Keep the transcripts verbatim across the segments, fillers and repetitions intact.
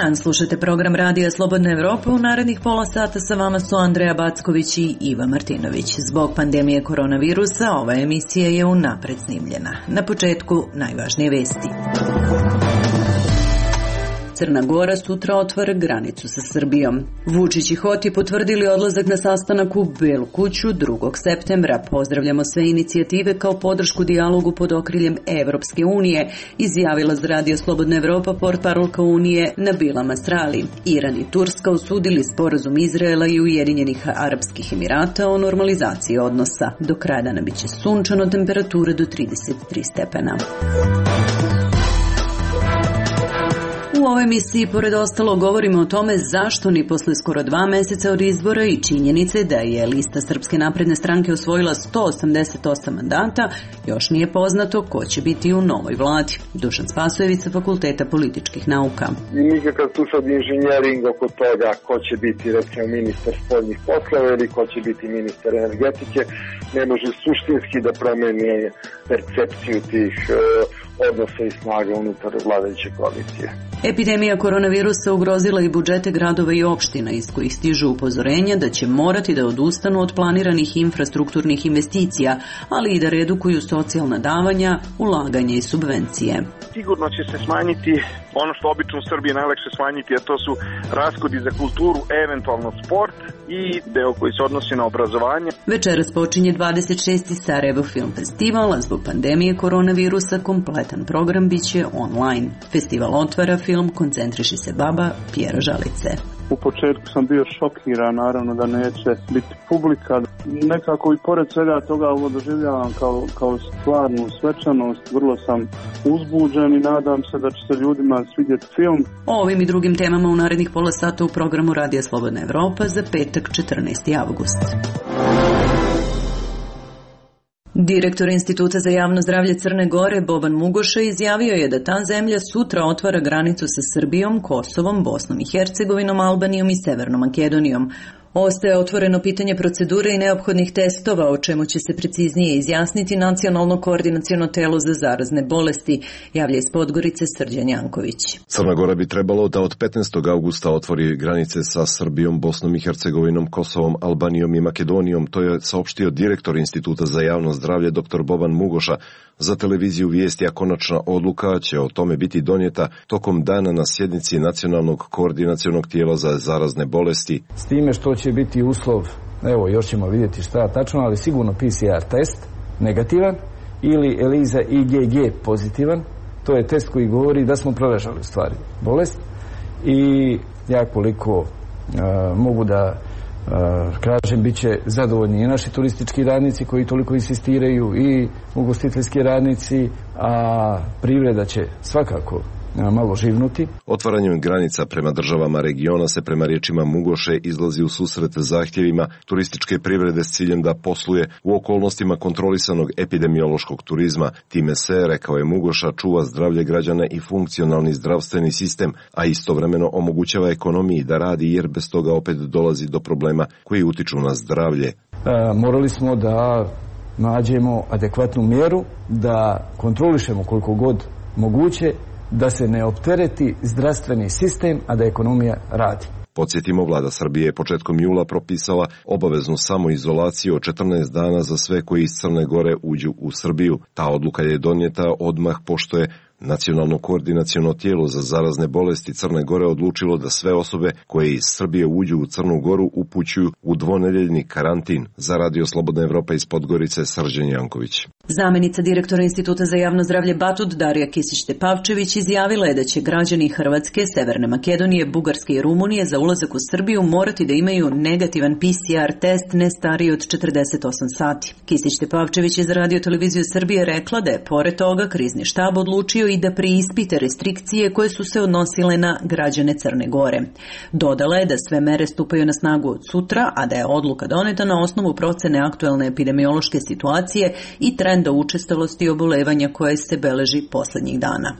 dan, slušate program Radija Slobodna Evropa. U narednih pola sata sa vama su Andreja Backović i Iva Martinović. Zbog pandemije koronavirusa ova emisija je unapred snimljena. Na početku najvažnije vesti. Crna Gora sutra otvara granicu sa Srbijom. Vučić i Hoti potvrdili odlazak na sastanak u Belu kuću drugog septembra. Pozdravljamo sve inicijative kao podršku dijalogu pod okriljem Evropske unije, izjavila za Radio Slobodna Evropa portparolka Unije Nabila Masrali. Iran i Turska osudili sporazum Izraela i Ujedinjenih Arapskih Emirata o normalizaciji odnosa. Do kraja dana biće sunčano, temperatura do trideset tri stepena. U ovoj emisiji, pored ostalo, govorimo o tome zašto ni posle skoro dva meseca od izbora i činjenice da je lista Srpske napredne stranke osvojila sto osamdeset osam mandata, još nije poznato ko će biti u novoj vladi. Dušan Spasojević sa Fakulteta političkih nauka. I nikakav tu sad inženjering oko toga ko će biti, recimo, ministar spoljnih poslova ili ko će biti ministar energetike, ne može suštinski da promeni percepciju tih odnosa i snaga unutar vladajuće koalicije. Epidemija koronavirusa ugrozila i budžete gradova i opština, iz kojih stižu upozorenja da će morati da odustanu od planiranih infrastrukturnih investicija, ali i da redukuju socijalna davanja, ulaganja i subvencije. Sigurno će se smanjiti ono što obično u Srbiji najlakše smanjiti, a to su rashodi za kulturu, eventualno sport i deo koji se odnosi na obrazovanje. Večeras počinje dvadeset šesti Sarajevo Film Festival, a zbog pandemije koronavirusa kompletan program biće online. Festival otvara film Koncentriši se baba Pjera Žalice. U početku sam bio šokiran, naravno da neće biti publika. Nekako i pored svega toga ovo doživljavam kao, kao stvarnu svečanost. Vrlo sam uzbuđen i nadam se da će se ljudima svidjeti film. O ovim i drugim temama u narednih pola sata u programu Radija Slobodna Evropa za petak četrnaesti avgust. Direktor Instituta za javno zdravlje Crne Gore Boban Mugoša izjavio je da ta zemlja sutra otvara granicu sa Srbijom, Kosovom, Bosnom i Hercegovinom, Albanijom i Severnom Makedonijom. Ostaje otvoreno pitanje procedure i neophodnih testova, o čemu će se preciznije izjasniti Nacionalno koordinaciono telo za zarazne bolesti, javlja iz Podgorice Srđan Janković. Crna Gora bi trebalo da od petnaestog avgusta otvori granice sa Srbijom, Bosnom i Hercegovinom, Kosovom, Albanijom i Makedonijom. To je saopštio direktor Instituta za javno zdravlje dr. Boban Mugoša za televiziju Vijesti, a konačna odluka će o tome biti donijeta tokom dana na sjednici Nacionalnog koordinacionog tijela za zarazne bolesti. S time što će biti uslov, evo još ćemo vidjeti šta tačno, ali sigurno P C R test negativan ili ELISA I G G pozitivan. To je test koji govori da smo preležali u stvari bolest i ja koliko uh, mogu da uh, kažem, bit će zadovoljni i naši turistički radnici koji toliko insistiraju i ugostiteljski radnici, a privreda će svakako malo živnuti. Otvaranjem granica prema državama regiona se prema riječima Mugoše izlazi u susret zahtjevima turističke privrede s ciljem da posluje u okolnostima kontrolisanog epidemiološkog turizma. Time se, rekao je Mugoša, čuva zdravlje građana i funkcionalni zdravstveni sistem, a istovremeno omogućava ekonomiji da radi, jer bez toga opet dolazi do problema koji utiču na zdravlje. E, morali smo da nađemo adekvatnu mjeru, da kontrolišemo koliko god moguće, da se ne optereti zdravstveni sistem, a da ekonomija radi. Podsjetimo, vlada Srbije je početkom jula propisala obaveznu samoizolaciju od četrnaest dana za sve koji iz Crne Gore uđu u Srbiju. Ta odluka je donijeta odmah pošto je Nacionalno koordinaciono tijelo za zarazne bolesti Crne Gore odlučilo da sve osobe koje iz Srbije uđu u Crnu Goru upućuju u dvonedeljni karantin. Za Radio Slobodna Evropa iz Podgorice Srđan Janković. Zamenica direktora Instituta za javno zdravlje Batut Darija Kisić-Tepavčević izjavila je da će građani Hrvatske, Severne Makedonije, Bugarske i Rumunije za ulazak u Srbiju morati da imaju negativan P C R test ne stariji od četrdeset osam sati. Kisić-Tepavčević je za Radio televiziju Srbije rekla da je pored toga krizni štab odlučio i da preispite restrikcije koje su se odnosile na građane Crne Gore. Dodala je da sve mere stupaju na snagu od sutra, a da je odluka doneta na osnovu procene aktuelne epidemiološke situacije i trenda učestalosti obolevanja koje se beleži poslednjih dana.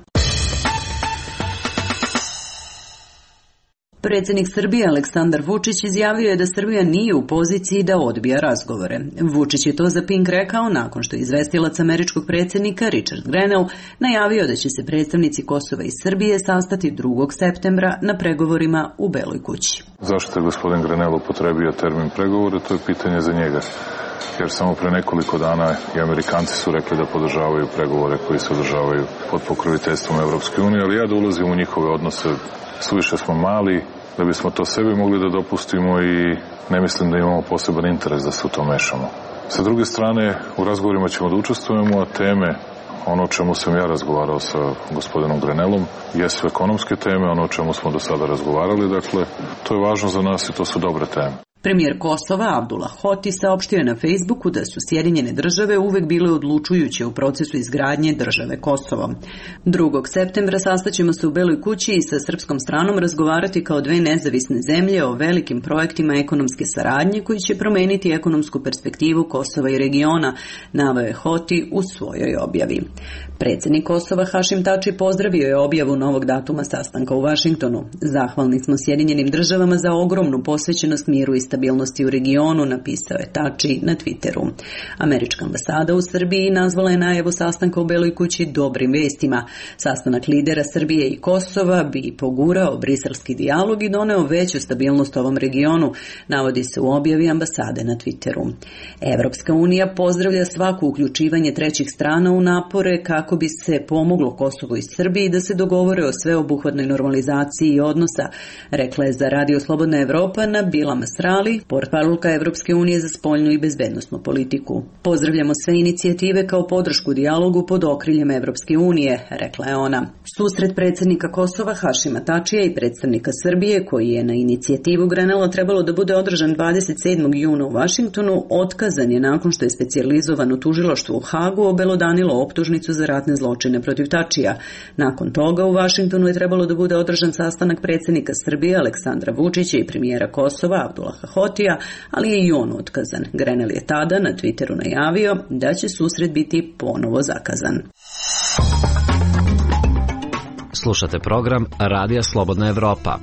Predsjednik Srbije Aleksandar Vučić izjavio je da Srbija nije u poziciji da odbija razgovore. Vučić je to za Pink rekao nakon što je izvestilac američkog predsjednika Richard Grenell najavio da će se predstavnici Kosova i Srbije sastati drugog septembra na pregovorima u Beloj kući. Zašto je gospodin Grenell upotrebio termin pregovore, to je pitanje za njega. Jer samo pre nekoliko dana i Amerikanci su rekli da podržavaju pregovore koji se održavaju pod pokroviteljstvom Evropske unije, ali ja da ulazim u njihove odnose, suviše smo mali da bismo to sebi mogli da dopustimo i ne mislim da imamo poseban interes da se u to mešamo. Sa druge strane, u razgovorima ćemo da učestvujemo, a teme, ono o čemu sam ja razgovarao sa gospodinom Grenellom, jesu ekonomske teme, ono o čemu smo do sada razgovarali, dakle, to je važno za nas i to su dobre teme. Premijer Kosova Abdullah Hoti saopštio je na Facebooku da su Sjedinjene države uvek bile odlučujuće u procesu izgradnje države Kosovo. drugog septembra sastaćemo se u Beloj kući i sa srpskom stranom razgovarati kao dve nezavisne zemlje o velikim projektima ekonomske saradnje koji će promeniti ekonomsku perspektivu Kosova i regiona, naveo je Hoti u svojoj objavi. Predsjednik Kosova Hašim Tači pozdravio je objavu novog datuma sastanka u Vašingtonu. Zahvalni smo Sjedinjenim državama za ogromnu posvećenost miru i stabilnosti u regionu, napisao je Tači na Twitteru. Američka ambasada u Srbiji nazvala je najavu sastanka u Beloj kući dobrim vestima. Sastanak lidera Srbije i Kosova bi pogurao briselski dijalog i doneo veću stabilnost ovom regionu, navodi se u objavi ambasade na Twitteru. Evropska unija pozdravlja svako uključivanje trećih strana u napore kako bi se pomoglo Kosovu i Srbiji da se dogovore o sveobuhvatnoj normalizaciji odnosa, rekla je za Radio Slobodna Evropa Nabila Masrali, portparolka Evropske unije za spoljnu i bezbednosnu politiku. Pozdravljamo sve inicijative kao podršku dijalogu pod okriljem Evropske unije, rekla je ona. Susret predsjednika Kosova Hašima Tačija i predstavnika Srbije, koji je na inicijativu Grenella trebalo da bude održan dvadeset sedmog juna u Vašingtonu, otkazan je nakon što je specijalizovano tužilaštvo u Hagu obelodanilo optužnicu za ratne zločine protiv Tačija. Nakon toga u Vašingtonu je trebalo da bude održan sastanak predsjednika Srbije Aleksandra Vučića i premijera Kosova Abdullaha Hotija, ali je i on otkazan. Grenell je tada na Twitteru najavio da će susret biti ponovo zakazan. Slušate program Radija Slobodna Evropa.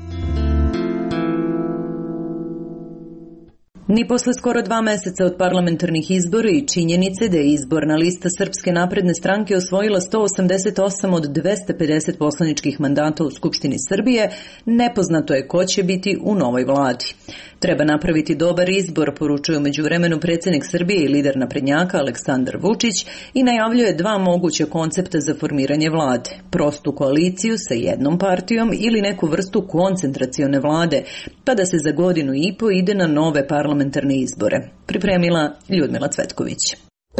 Ni posle skoro dva meseca od parlamentarnih izbora i činjenice da je izborna lista Srpske napredne stranke osvojila sto osamdeset osam od dvesta pedeset poslaničkih mandata u Skupštini Srbije, nepoznato je ko će biti u novoj vladi. Treba napraviti dobar izbor, poručuje u međuvremenu predsjednik Srbije i lider naprednjaka Aleksandar Vučić i najavljuje dva moguća koncepta za formiranje vlade. Prostu koaliciju sa jednom partijom ili neku vrstu koncentracione vlade, pa da se za godinu i po ide na nove parlamentarne izbore. Pripremila Ljudmila Cvetković.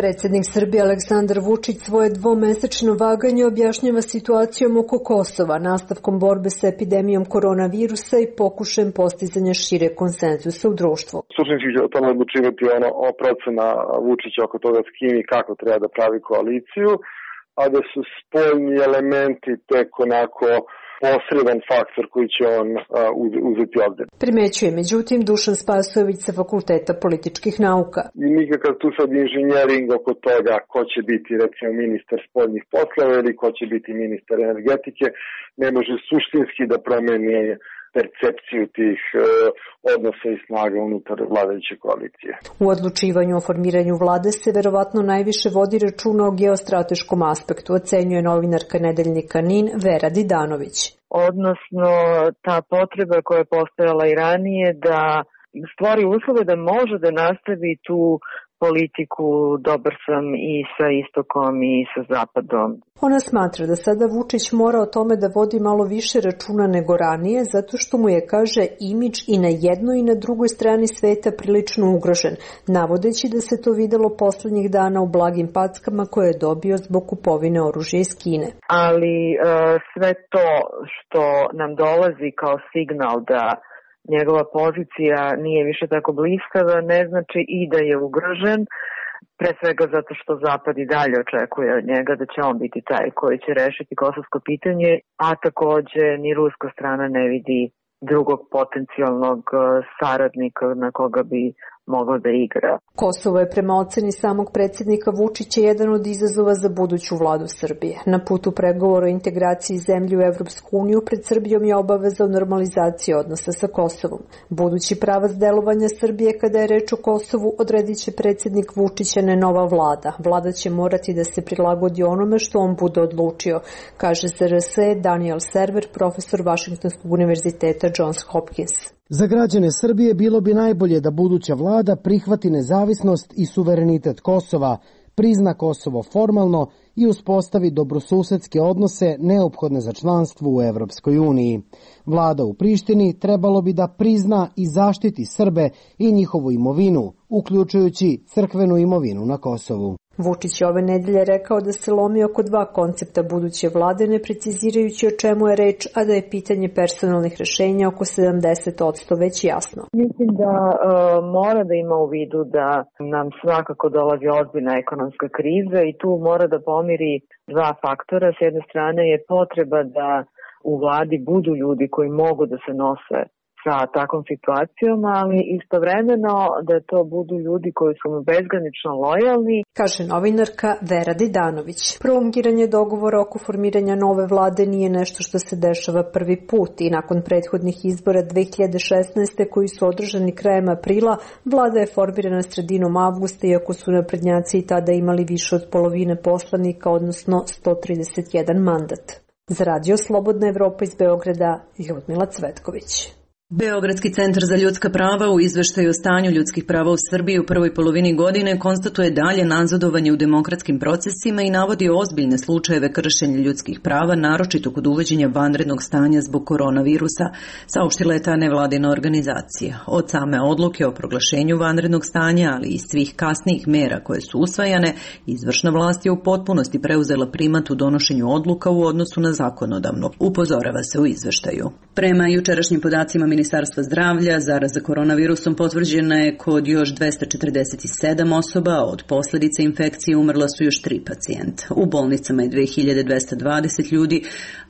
Predsjednik Srbije Aleksandar Vučić svoje dvomesečno vaganje objašnjava situacijom oko Kosova, nastavkom borbe sa epidemijom koronavirusa i pokušajem postizanja šire konsenzusa u društvu. Suštinski će o tome odlučivati ono o procena Vučića oko toga s kim i kako treba da pravi koaliciju, a da su spoljni elementi tek onako posredan faktor koji će on uh, uzeti ovdje. Primećuje međutim Dušan Spasojević sa Fakulteta političkih nauka. I nikakav tu sad inženjering oko toga ko će biti recimo ministar spoljnih poslova ili ko će biti ministar energetike ne može suštinski da promeni percepciju tih uh, odnosa i snaga unutar vladajuće koalicije. U odlučivanju o formiranju vlade se verovatno najviše vodi računa o geostrateškom aspektu, ocenjuje novinarka nedeljnika NIN Vera Didanović. Odnosno ta potreba koja je postojala i ranije da stvori uslove da može da nastavi tu politiku dobar sam i sa istokom i sa zapadom. Ona smatra da sada Vučić mora o tome da vodi malo više računa nego ranije, zato što mu je, kaže, imidž i na jednoj i na drugoj strani sveta prilično ugrožen, navodeći da se to videlo poslednjih dana u blagim packama koje je dobio zbog kupovine oružja iz Kine. Ali e, sve to što nam dolazi kao signal da njegova pozicija nije više tako bliskava, ne znači i da je ugrožen, pre svega zato što Zapad i dalje očekuje od njega da će on biti taj koji će rešiti kosovsko pitanje, a takođe ni ruska strana ne vidi drugog potencijalnog saradnika na koga bi moglo da igra. Kosovo je prema oceni samog predsjednika Vučića jedan od izazova za buduću vladu Srbije. Na putu pregovora o integraciji zemlje u Evropsku uniju pred Srbijom je obaveza o normalizaciji odnosa sa Kosovom. Budući pravac delovanja Srbije kada je reč o Kosovu odredit će predsjednik Vučića, ne nova vlada. Vlada će morati da se prilagodi onome što on bude odlučio, kaže Z R S Daniel Server, profesor Vašingtonskog univerziteta Johns Hopkins. Za građane Srbije bilo bi najbolje da buduća vlada prihvati nezavisnost i suverenitet Kosova, prizna Kosovo formalno i uspostavi dobrosusedske odnose neophodne za članstvo u Evropskoj uniji. Vlada u Prištini trebalo bi da prizna i zaštiti Srbe i njihovu imovinu, uključujući crkvenu imovinu na Kosovu. Vučić je ove nedelje rekao da se lomi oko dva koncepta buduće vlade, ne precizirajući o čemu je reč, a da je pitanje personalnih rešenja oko sedamdeset posto već jasno. Mislim da e, mora da ima u vidu da nam svakako dolazi ozbiljna ekonomska kriza i tu mora da pomiri dva faktora. S jedne strane je potreba da u vladi budu ljudi koji mogu da se nose sa takvom situacijom, ali istovremeno da to budu ljudi koji su mu bezgranično lojalni. Kaže novinarka Vera Didanović. Prolongiranje dogovora oko formiranja nove vlade nije nešto što se dešava prvi put i nakon prethodnih izbora dve hiljade šesnaeste koji su održani krajem aprila, vlada je formirana sredinom avgusta, iako su naprednjaci i tada imali više od polovine poslanika, odnosno sto trideset jedan mandat. Za Radio Slobodna Evropa iz Beograda, Ljudmila Cvetković. Beogradski centar za ljudska prava u izveštaju o stanju ljudskih prava u Srbiji u prvoj polovini godine konstatuje dalje nazadovanje u demokratskim procesima i navodi ozbiljne slučajeve kršenja ljudskih prava, naročito kod uvođenja vanrednog stanja zbog koronavirusa, saopštila je ta nevladina organizacija. Od same odluke o proglašenju vanrednog stanja, ali i svih kasnijih mera koje su usvajane, izvršna vlast je u potpunosti preuzela primat u donošenju odluka u odnosu na zakonodavno, upozorava se u izveštaju. Prema jučerašnjim podacima Ministarstva zdravlja, zaraza koronavirusom potvrđena je kod još dvesta četrdeset sedam osoba, a od posljedica infekcije umrla su još tri pacijenta. U bolnicama je dve hiljade dvesta dvadeset ljudi,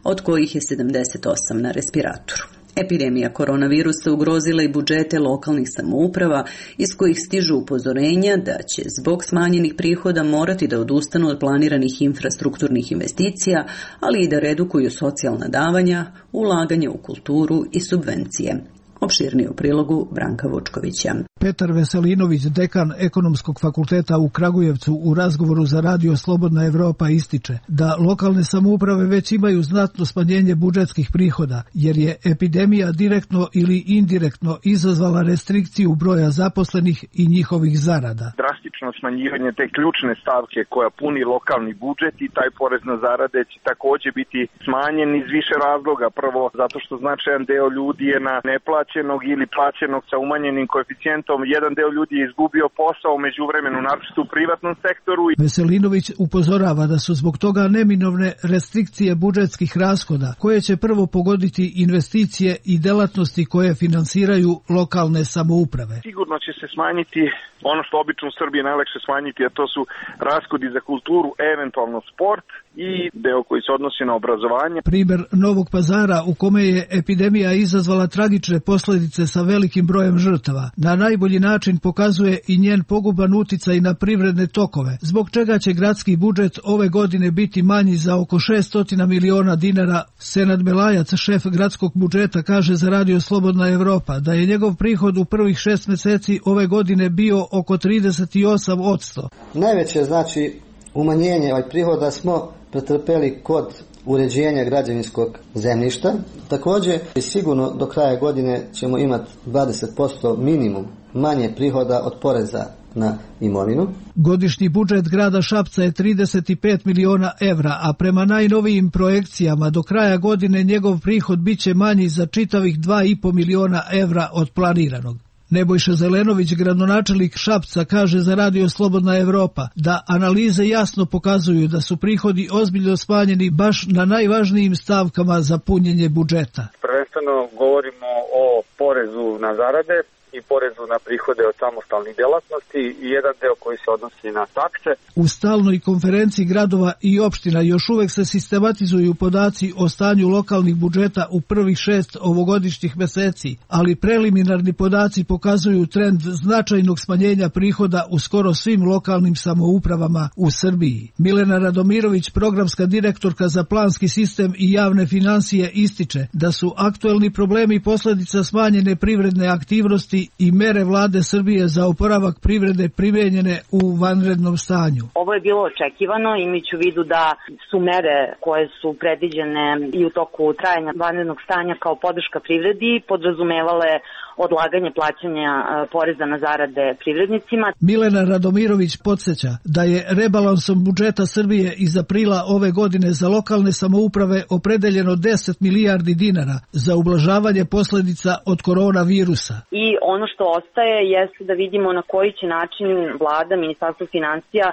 od kojih je sedamdeset osam na respiratoru. Epidemija koronavirusa ugrozila i budžete lokalnih samouprava, iz kojih stižu upozorenja da će zbog smanjenih prihoda morati da odustanu od planiranih infrastrukturnih investicija, ali i da redukuju socijalna davanja, ulaganje u kulturu i subvencije. Opširnije u prilogu Branka Vučkovića. Petar Veselinović, dekan Ekonomskog fakulteta u Kragujevcu, u razgovoru za Radio Slobodna Evropa ističe da lokalne samouprave već imaju znatno smanjenje budžetskih prihoda, jer je epidemija direktno ili indirektno izazvala restrikciju broja zaposlenih i njihovih zarada. Drastično smanjivanje te ključne stavke koja puni lokalni budžet i taj porez na zarade će također biti smanjen iz više razloga. Prvo, zato što značajan deo ljudi je na neplaćenog ili plaćenog sa umanjenim koeficijentom. Jedan deo ljudi je izgubio posao u međuvremenu, naročito u privatnom sektoru. Veselinović upozorava da su zbog toga neminovne restrikcije budžetskih rashoda, koje će prvo pogoditi investicije i delatnosti koje finansiraju lokalne samouprave. Sigurno će se smanjiti ono što obično u Srbiji najlakše smanjiti, a to su rashodi za kulturu, eventualno sport i deo koji se odnosi na obrazovanje. Primer Novog Pazara, u kome je epidemija izazvala tragične posljedice sa velikim brojem žrtava, na najbolji način pokazuje i njen poguban uticaj na privredne tokove, zbog čega će gradski budžet ove godine biti manji za oko šessto miliona dinara. Senad Melajac, šef gradskog budžeta, kaže za Radio Slobodna Evropa da je njegov prihod u prvih šest meseci ove godine bio oko trideset osam posto. Najveće znači umanjenje ovaj prihoda smo pretrpeli kod uređenja građevinskog zemljišta. Također sigurno do kraja godine ćemo imati dvadeset posto minimum manje prihoda od poreza na imovinu. Godišnji budžet grada Šapca je trideset pet miliona evra, a prema najnovijim projekcijama do kraja godine njegov prihod biće manji za čitavih dva i po miliona evra od planiranog. Nebojša Zelenović, gradonačelnik Šapca, kaže za Radio Slobodna Evropa da analize jasno pokazuju da su prihodi ozbiljno smanjeni baš na najvažnijim stavkama za punjenje budžeta. Prvenstveno govorimo o porezu na zarade. i porezu na prihode od samostalnih delatnosti i jedan deo koji se odnosi na takse. U stalnoj konferenciji gradova i opština još uvek se sistematizuju podaci o stanju lokalnih budžeta u prvih šest ovogodišnjih meseci, ali preliminarni podaci pokazuju trend značajnog smanjenja prihoda u skoro svim lokalnim samoupravama u Srbiji. Milena Radomirović, programska direktorka za planski sistem i javne financije, ističe da su aktuelni problemi posledica smanjene privredne aktivnosti i mere vlade Srbije za oporavak privrede primenjene u vanrednom stanju. Ovo je bilo očekivano, imajući u vidu da su mere koje su predviđene i u toku trajanja vanrednog stanja kao podrška privredi podrazumevale odlaganje plaćanja poreza na zarade privrednicima. Milena Radomirović podsjeća da je rebalansom budžeta Srbije iz aprila ove godine za lokalne samouprave opredeljeno deset milijardi dinara za ublažavanje posledica od koronavirusa. I ono što ostaje jeste da vidimo na koji će način vlada, Ministarstvo finansija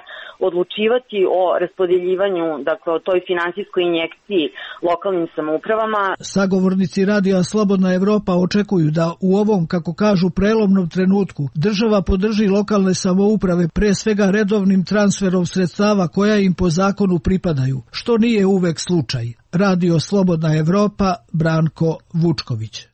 odlučivati o raspodeljivanju, dakle o toj finansijskoj injekciji lokalnim samoupravama. Sagovornici Radija Slobodna Evropa očekuju da u ovom, kako kažu, prelomnom trenutku država podrži lokalne samouprave pre svega redovnim transferom sredstava koja im po zakonu pripadaju, što nije uvek slučaj. Radio Slobodna Evropa, Branko Vučković.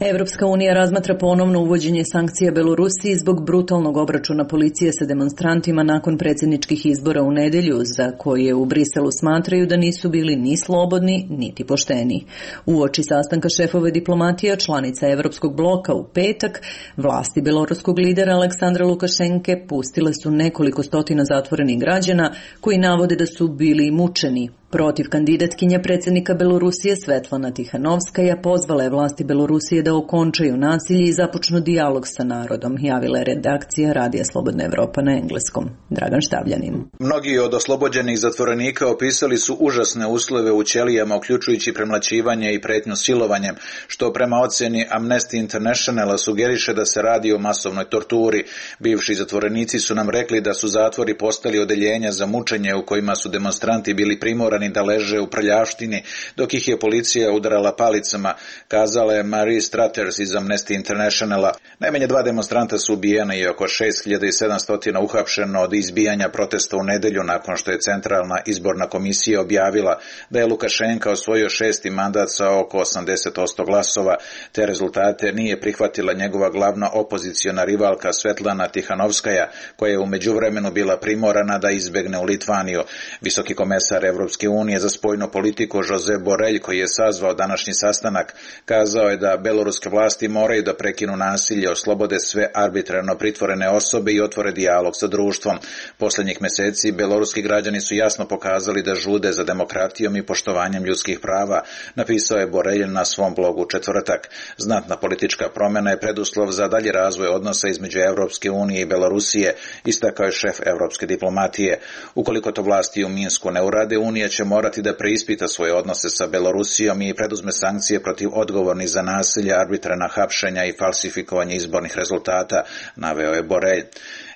Evropska unija razmatra ponovno uvođenje sankcija Belorusiji zbog brutalnog obračuna policije sa demonstrantima nakon predsjedničkih izbora u nedelju, za koje u Briselu smatraju da nisu bili ni slobodni, niti pošteni. Uoči sastanka šefove diplomatija članica Evropskog bloka u petak, vlasti beloruskog lidera Aleksandra Lukašenke pustile su nekoliko stotina zatvorenih građana koji navode da su bili mučeni. Protiv kandidatkinja predsjednika Belorusije Svetlana Tihanovskaja pozvala je vlasti Belorusije da okončaju nasilje i započnu dijalog sa narodom, javila je redakcija Radija Slobodna Evropa na engleskom. Dragan Štavljanin. Mnogi od oslobođenih zatvorenika opisali su užasne uslove u ćelijama, uključujući premlaćivanje i pretnju silovanjem, što prema ocjeni Amnesty Internationala sugeriše da se radi o masovnoj torturi. Bivši zatvorenici su nam rekli da su zatvori postali odeljenja za mučenje u kojima su demonstranti bili primorani da leže u prljavštini, dok ih je policija udarala palicama, kazala je Marie Stratters iz Amnesty Internationala. Najmanje dva demonstranta su ubijena i oko šest hiljada sedamsto uhapšeno od izbijanja protesta u nedelju nakon što je Centralna izborna komisija objavila da je Lukašenka osvojio šesti mandat sa oko osamdeset posto glasova. Te rezultate nije prihvatila njegova glavna opoziciona rivalka Svetlana Tihanovskaja, koja je u međuvremenu bila primorana da izbegne u Litvaniju. Visoki komesar Evropske unije za spoljnu politiku Josep Borrell, koji je sazvao današnji sastanak, kazao je da beloruske vlasti moraju da prekinu nasilje, oslobode sve arbitrarno pritvorene osobe i otvore dijalog sa društvom. Poslednjih meseci beloruski građani su jasno pokazali da žude za demokratijom i poštovanjem ljudskih prava, napisao je Borrell na svom blogu četvrtak. Znatna politička promjena je preduslov za dalji razvoj odnosa između Evropske unije i Belorusije, istakao je šef evropske diplomatije. Ukoliko to vlasti u Minsku ne urade, Unija će morati da preispita svoje odnose sa Belorusijom i preduzme sankcije protiv odgovornih za nasilje, arbitrarna hapšenja i falsifikovanje izbornih rezultata, naveo je Borrell.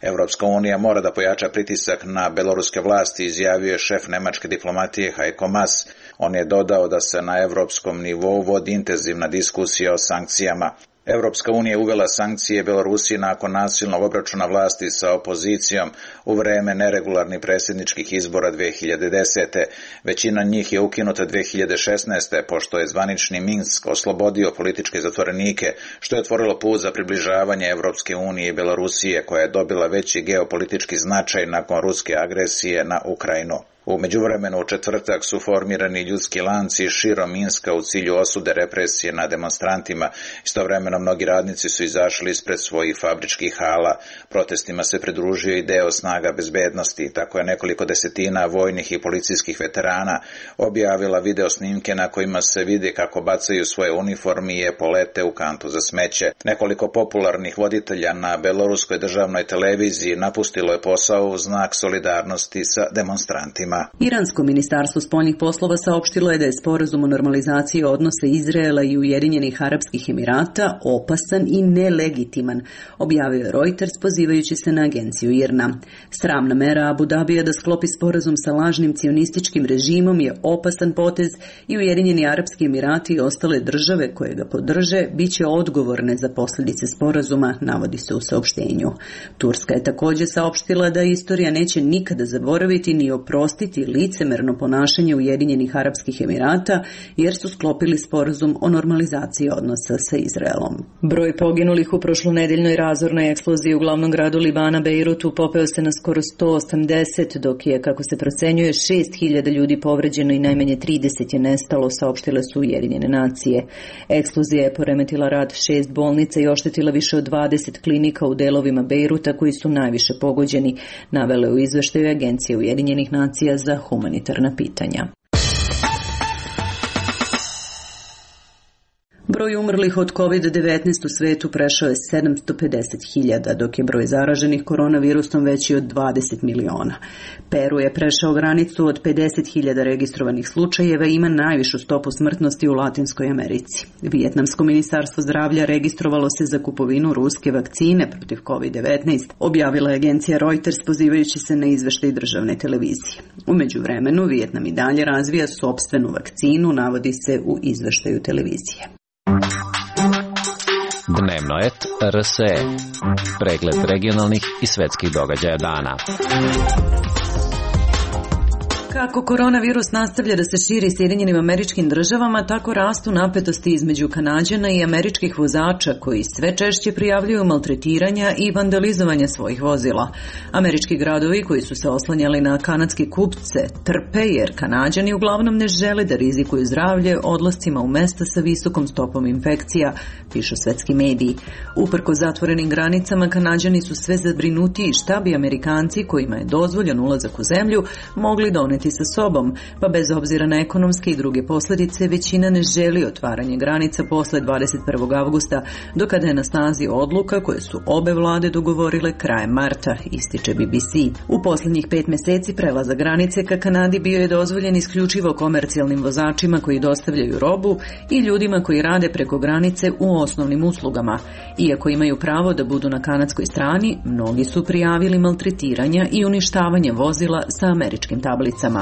Evropska unija mora da pojača pritisak na beloruske vlasti, izjavio je šef nemačke diplomatije Heiko Maas. On je dodao da se na evropskom nivou vodi intenzivna diskusija o sankcijama. Evropska unija je uvela sankcije Belorusiji nakon nasilnog obračuna vlasti sa opozicijom u vreme neregularnih predsjedničkih izbora dve hiljade desete. Većina njih je ukinuta dve hiljade šesnaeste. pošto je zvanični Minsk oslobodio političke zatvorenike, što je otvorilo put za približavanje Evropske unije i Belorusije, koja je dobila veći geopolitički značaj nakon ruske agresije na Ukrajinu. U međuvremenu u četvrtak su formirani ljudski lanci širom Minska u cilju osude represije na demonstrantima. Istovremeno mnogi radnici su izašli ispred svojih fabričkih hala. Protestima se pridružio i deo snaga bezbednosti. Tako je nekoliko desetina vojnih i policijskih veterana objavila video snimke na kojima se vidi kako bacaju svoje uniforme i epolete u kantu za smeće. Nekoliko popularnih voditelja na beloruskoj državnoj televiziji napustilo je posao u znak solidarnosti sa demonstrantima. medijima. Iransko ministarstvo spoljnih poslova saopštilo je da je sporazum o normalizaciji odnosa Izraela i Ujedinjenih Arapskih Emirata opasan i nelegitiman, objavio je Reuters pozivajući se na agenciju I R N A. Sramna mera Abu Dabija da sklopi sporazum sa lažnim cionističkim režimom je opasan potez i Ujedinjeni Arapski Emirati i ostale države koje ga podrže bit će odgovorne za posljedice sporazuma, navodi se u saopštenju. Turska je također saopštila da istorija neće nikada zaboraviti ni oprostiti licemerno ponašanje Ujedinjenih Arapskih Emirata jer su sklopili sporazum o normalizaciji odnosa sa Izraelom. Broj poginulih u prošlonedeljnoj razornoj eksploziji u glavnom gradu Libana Bejrutu popeo se na skoro sto osamdeset, dok je, kako se procenjuje, šest hiljada ljudi povređeno i najmanje trideset je nestalo, saopštile su Ujedinjene nacije. Eksplozija je poremetila rad šest bolnica i oštetila više od dvadeset klinika u delovima Bejruta koji su najviše pogođeni, navele u izveštaju Agencije Ujedinjenih nacija za humanitarna pitanja. Broj umrlih od kovid devetnaest u svetu prešao je sedamsto pedeset hiljada, dok je broj zaraženih koronavirusom veći od dvadeset miliona. Peru je prešao granicu od pedeset hiljada registrovanih slučajeva i ima najvišu stopu smrtnosti u Latinskoj Americi. Vijetnamsko ministarstvo zdravlja registrovalo se za kupovinu ruske vakcine protiv kovid devetnaest, objavila je agencija Reuters pozivajući se na izveštaj državne televizije. U međuvremenu Vijetnam i dalje razvija sopstvenu vakcinu, navodi se u izveštaju televizije. Dnevno et R S E. Pregled regionalnih i svetskih događaja dana. Kako koronavirus nastavlja da se širi Sjedinjenim Američkim Državama, tako rastu napetosti između Kanađana i američkih vozača koji sve češće prijavljuju maltretiranja i vandalizovanja svojih vozila. Američki gradovi koji su se oslanjali na kanadske kupce trpe jer Kanađani uglavnom ne žele da rizikuju zdravlje odlascima u mesta sa visokom stopom infekcija, pišu svetski mediji. Uprko zatvorenim granicama, Kanađani su sve zabrinutiji šta bi Amerikanci kojima je dozvoljen ulazak u zemlju mogli doneti sa sobom, pa bez obzira na ekonomske i druge posljedice, većina ne želi otvaranje granica posle dvadeset prvog avgusta, do kada je na snazi odluka koje su obe vlade dogovorile krajem marta, ističe B B C. U posljednjih pet meseci prelaza granice ka Kanadi bio je dozvoljen isključivo komercijalnim vozačima koji dostavljaju robu i ljudima koji rade preko granice u osnovnim uslugama. Iako imaju pravo da budu na kanadskoj strani, mnogi su prijavili maltretiranja i uništavanje vozila sa američkim tablicama.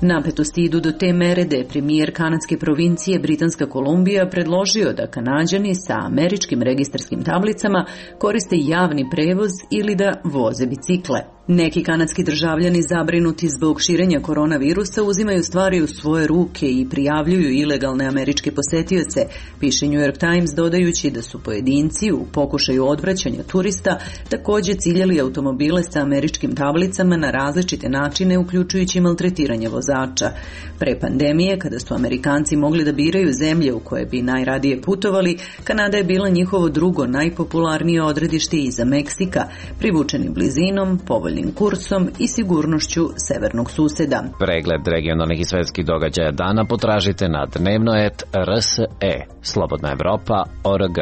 Napetosti idu do te mere da je premijer kanadske provincije Britanska Kolumbija predložio da Kanađani sa američkim registarskim tablicama koriste javni prevoz ili da voze bicikle. Neki kanadski državljani zabrinuti zbog širenja koronavirusa uzimaju stvari u svoje ruke i prijavljuju ilegalne američke posetioce, piše New York Times, dodajući da su pojedinci u pokušaju odvraćanja turista također ciljali automobile sa američkim tablicama na različite načine, uključujući maltretiranje vozača. Pre pandemije, kada su Amerikanci mogli da biraju zemlje u koje bi najradije putovali, Kanada je bila njihovo drugo najpopularnije odredište iza Meksika, privučeni blizinom, povoljnim kursom i sigurnošću severnog suseda. Pregled regionalnih i svetskih događaja dana potražite na dnevno et R S E. Slobodna Evropa O R G.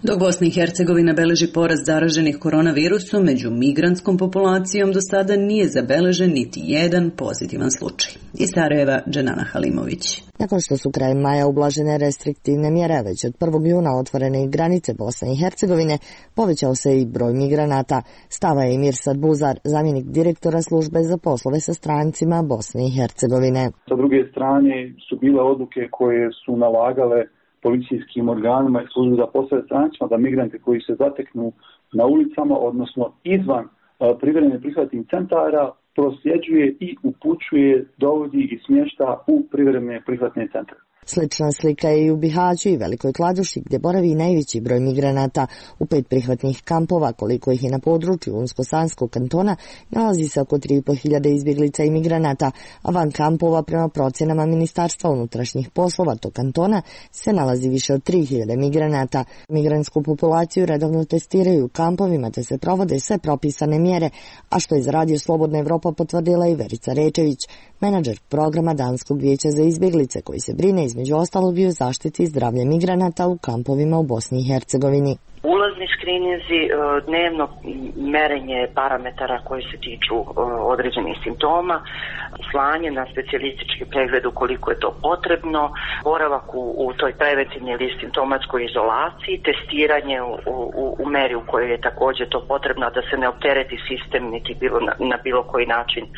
Dok Bosna i Hercegovina beleži porast zaraženih koronavirusom, među migrantskom populacijom do sada nije zabeležen niti jedan pozitivan slučaj. Iz Sarajeva, Dženana Halimović. Nakon što su krajem maja ublažene restriktivne mjere, već od prvog juna otvorene granice Bosne i Hercegovine, povećao se i broj migranata. Stava je Mirsad Buzar, zamjenik direktora službe za poslove sa strancima Bosne i Hercegovine. Sa druge strane su bile odluke koje su nalagale policijskim organima i službi za poslove strancima da migranti koji se zateknu na ulicama, odnosno izvan privremenih prihvatnih centara, prosljeđuje i upućuje, dovodi i smješta u privremene prihvatne centre. Slična slika je i u Bihaću i Velikoj Kladuši, gdje boravi najveći broj migranata. U pet prihvatnih kampova, koliko ih je na području Unsko-Sanskog kantona, nalazi se oko tri i po hiljade izbjeglica i migranata, a van kampova, prema procjenama Ministarstva unutrašnjih poslova tog kantona, se nalazi više od tri hiljade migranata. Migrantsku populaciju redovno testiraju u kampovima, te se provode sve propisane mjere, a što je za Radio Slobodna Evropa potvrdila i Verica Rečević, menadžer programa Danskog vijeća za izbjeglice, koji se brine između ostalog i o zaštiti zdravlja migranata u kampovima u Bosni i Hercegovini. ulazni skrininzi, dnevno merenje parametara koji se tiču određenih simptoma, slanje na specijalistički pregled ukoliko je to potrebno, boravak u, u toj preventivnoj ili simptomatskoj izolaciji, testiranje u, u, u meri u kojoj je također to potrebno da se ne optereti sistem niti bilo na, na bilo koji način uh,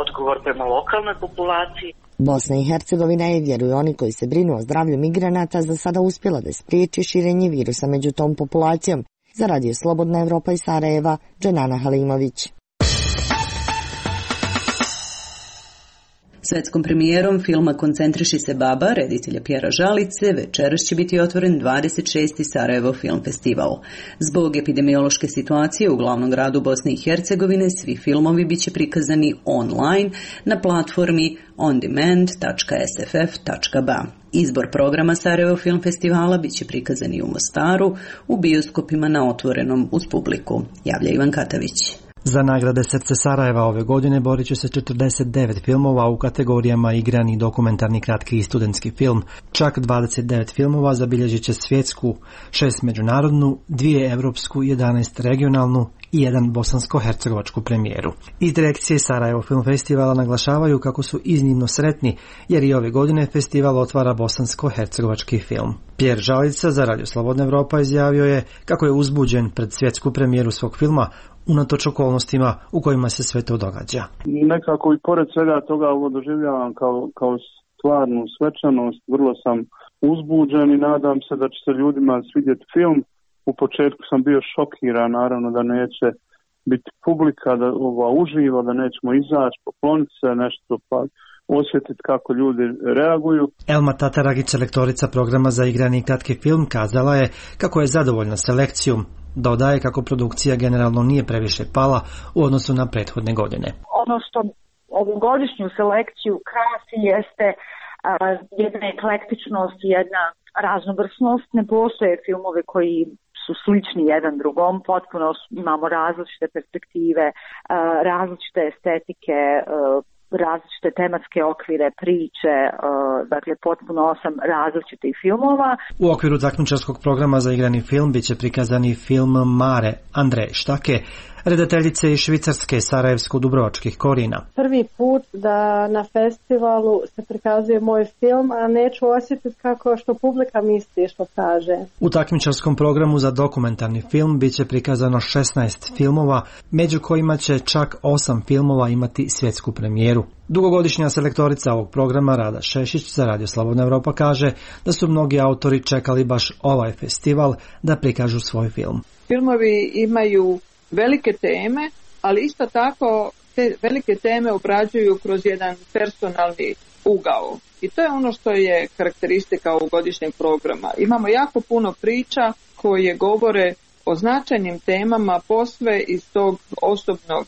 odgovor prema lokalnoj populaciji. Bosna i Hercegovina je, vjeruju oni koji se brinu o zdravlju migranata, za sada uspjela da spriječi širenje virusa među tom populacijom. Za Radio Slobodna Evropa iz Sarajeva, Dženana Halimović. Svetskom premijerom filma Koncentriši se baba, reditelja Pjera Žalice, večeras će biti otvoren dvadeset šesti Sarajevo film festival. Zbog epidemiološke situacije u glavnom gradu Bosne i Hercegovine, svi filmovi biće prikazani online na platformi on demand tačka s f f tačka b a. Izbor programa Sarajevo film festivala biće prikazani u Mostaru, u bioskopima na otvorenom uz publiku. Javlja Ivan Katavić. Za nagrade Srce Sarajeva ove godine borit će se četrdeset devet filmova u kategorijama igrani, dokumentarni, kratki i studentski film. Čak dvadeset devet filmova zabilježit će svjetsku, šest međunarodnu, dvije evropsku, jedanaest regionalnu i jedan bosansko-hercegovačku premijeru. Iz direkcije Sarajevo Film Festivala naglašavaju kako su iznimno sretni, jer i ove godine festival otvara bosansko-hercegovački film. Pjer Žalica za Radio Slobodna Evropa izjavio je kako je uzbuđen pred svjetsku premijeru svog filma, unatoč okolnostima u kojima se sve to događa. Nekako i pored svega toga ovo doživljavam kao, kao stvarnu svečanost, vrlo sam uzbuđen i nadam se da će se ljudima svidjeti film. U početku sam bio šokiran, naravno da neće biti publika, da ova uživa, da nećemo izaći, pokloniti se nešto, pa osjetiti kako ljudi reaguju. Elma Tataragić, selektorica programa za igrani kratki film, kazala je kako je zadovoljna selekcijom. Dodaje kako produkcija generalno nije previše pala u odnosu na prethodne godine. Ono što ovogodišnju selekciju krasi jeste a, jedna eklektičnost, jedna raznovrsnost. Ne postoje filmove koji su slični jedan drugom, potpuno imamo različite perspektive, a, različite estetike, a, različite tematske okvire, priče, dakle potpuno osam različitih filmova. U okviru takmičarskog programa za igrani film biće prikazani film Mare Andreje Štake, redateljice iz Švicarske sarajevsko-dubrovačkih korijena. Prvi put da na festivalu se prikazuje moj film, a neću osjetiti kako što publika misli što kaže. U takmičarskom programu za dokumentarni film biće prikazano šesnaest filmova, među kojima će čak osam filmova imati svjetsku premijeru. Dugogodišnja selektorica ovog programa Rada Šešić za Radio Slobodna Evropa kaže da su mnogi autori čekali baš ovaj festival da prikažu svoj film. Filmovi imaju velike teme, ali isto tako te velike teme obrađuju kroz jedan personalni ugao. I to je ono što je karakteristika ovog godišnjeg programa. Imamo jako puno priča koje govore o značajnim temama posve iz tog osobnog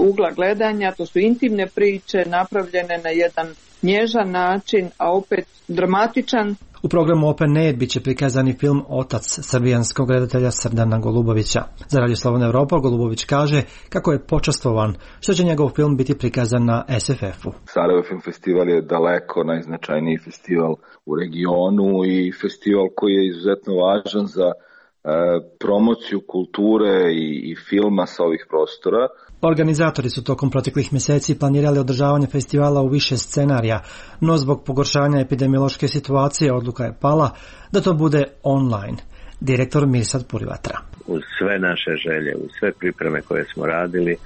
ugla gledanja. To su intimne priče napravljene na jedan nježan način, a opet dramatičan. U programu Open Air biće prikazani film Otac srbijanskog redatelja Srdana Golubovića. Za Radio Slobodna Evropa Golubović kaže kako je počastvovan što će njegov film biti prikazan na S F F-u. Sarajevo Film Festival je daleko najznačajniji festival u regionu i festival koji je izuzetno važan za e, promociju kulture i, i filma sa ovih prostora. Organizatori su tokom proteklih mjeseci planirali održavanje festivala u više scenarija, no zbog pogoršanja epidemiološke situacije odluka je pala da to bude online. Direktor Mirsad Purivatra. Uz sve naše želje, uz sve pripreme koje smo radili, e,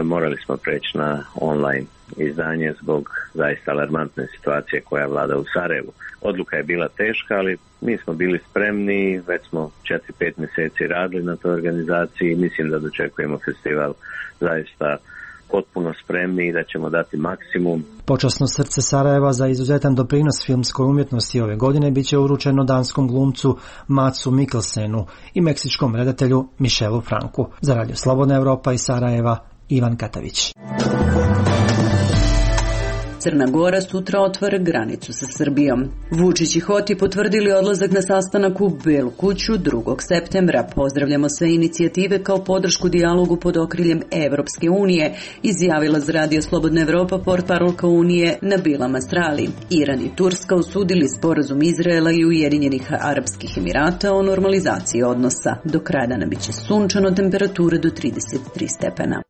morali smo preći na online izdanje zbog zaista alarmantne situacije koja vlada u Sarajevu. Odluka je bila teška, ali mi smo bili spremni, već smo četiri pet mjeseci radili na toj organizaciji i mislim da dočekujemo festival zaista potpuno spremni i da ćemo dati maksimum. Počasno srce Sarajeva za izuzetan doprinos filmskoj umjetnosti ove godine biće uručeno danskom glumcu Matsu Mikkelsenu i meksičkom redatelju Michelu Franku. Za Radio Slobodna Evropa iz Sarajeva, Ivan Katavić. Crna Gora sutra otvara granicu sa Srbijom. Vučić i Hoti potvrdili odlazak na sastanak u Belu kuću drugog septembra. Pozdravljamo sve inicijative kao podršku dijalogu pod okriljem Evropske unije, izjavila za Radio Slobodna Evropa portparolka Unije Nabila Masrali. Iran i Turska osudili sporazum Izraela i Ujedinjenih Arapskih Emirata o normalizaciji odnosa. Do kraja dana biće sunčano, temperatura do trideset tri stepena.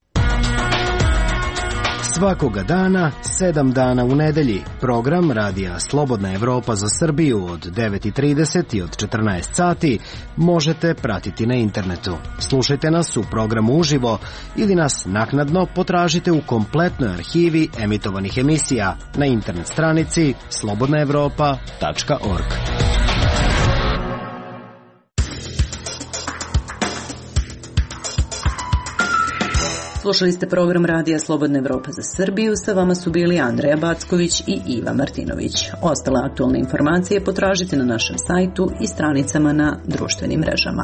Svakoga dana, sedam dana u nedelji, program Radija Slobodna Evropa za Srbiju od devet i trideset i od četrnaest sati možete pratiti na internetu. Slušajte nas u programu uživo ili nas naknadno potražite u kompletnoj arhivi emitovanih emisija na internet stranici slobodna evropa tačka org. Slušali ste program Radija Slobodna Evropa za Srbiju, sa vama su bili Andreja Backović i Iva Martinović. Ostale aktualne informacije potražite na našem sajtu i stranicama na društvenim mrežama.